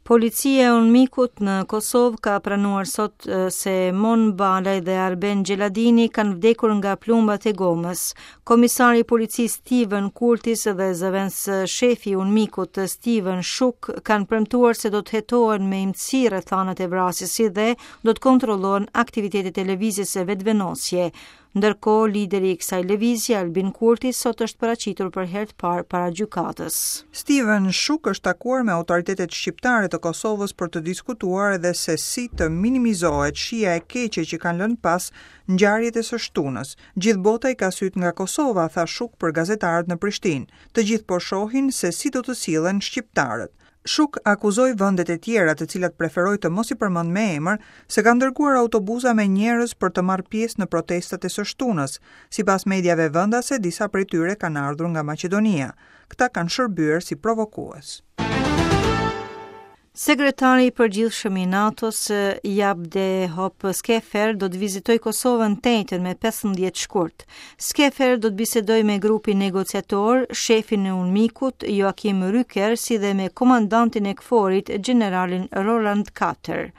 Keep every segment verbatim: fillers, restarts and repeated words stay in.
Policia e UNMIK-ut në Kosovë ka pranuar sot se Mon Balaj dhe Arben Xheladini kanë vdekur nga plumbat e gomës. Komisari i policisë Steven Kurtis dhe zëvendës shefi i UNMIK-ut Steven Shuk kanë premtuar se do të hetohen me imtësi rrethanat e vrasjes, si dhe do të kontrollohen aktivitetet e lëvizjes së Vetëvendosje. Ndërkohë, lideri i kësaj lëvizje, Albin Kurti, sot është paraqitur për herë të parë para gjykatës. Steven Shuk është takuar me autoritetet shqiptare të Kosovës për të diskutuar edhe se si të minimizohet shija e keqe që kanë lënë pas ngjarjet e së shtunës. "Gjithë bota i ka sytë nga Kosova", tha Shuk për gazetarët në Prishtinë. "Të gjithë po shohin se si do të sillen shqiptarët." Shuk akuzoi vendet e tjera, të cilat preferoi të mos i përmend me emër, se kanë dërguar autobuza me njerëz për të marrë pjesë në protestat e së shtunës. Sipas mediave vendase, disa prej tyre kanë ardhur nga Maqedonia. Këta kanë shërbyer si provokues. Sekretari i përgjithshëm i NATO-s, Jaap de Hoop Scheffer, do të vizitojë Kosovën të enjten me pesëmbëdhjetë shkurt. Scheffer do të bisedojë me grupin negociator, shefin e UNMIK-ut, Joachim Rücker, si dhe me komandantin e KFOR-it, gjeneralin Roland Carter.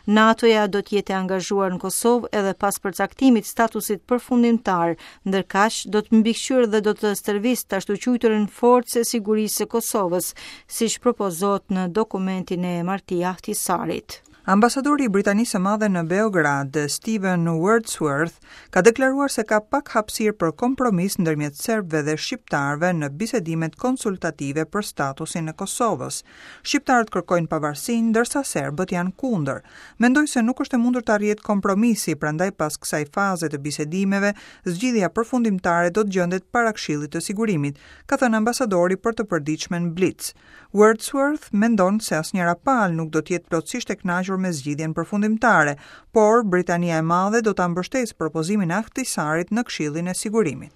NATO-ja do të jetë e angazhuar në Kosovë edhe pas përcaktimit statusit përfundimtar, ndërkaq do të mbikëqyrë dhe do të stërvisë të ashtuquajturën Forcë e Sigurisë së Kosovës, siç propozohet në dokumentin e Marti Ahtisarit. Ambasadori i Britanisë së Madhe në Beograd, Steven Wordsworth, ka deklaruar se ka pak hapësirë për kompromis ndërmjet serbëve dhe shqiptarëve në bisedimet konsultative për statusin e Kosovës. Shqiptarët kërkojnë pavarësinë, ndërsa serbët janë kundër. "Mendoj se nuk është e mundur të arrihet kompromisi, prandaj pas kësaj faze të bisedimeve, zgjidhja përfundimtare do të gjendet para Këshillit të Sigurimit", ka thënë ambasadori për të përditshmen Blic. Wordsworth mendon se asnjëra palë nuk do të jetë plotësisht e kënaqur me zgjidhjen përfundimtare, por Britania e Madhe do ta mbështesë propozimin e Ahtisarit në Këshillin e Sigurimit.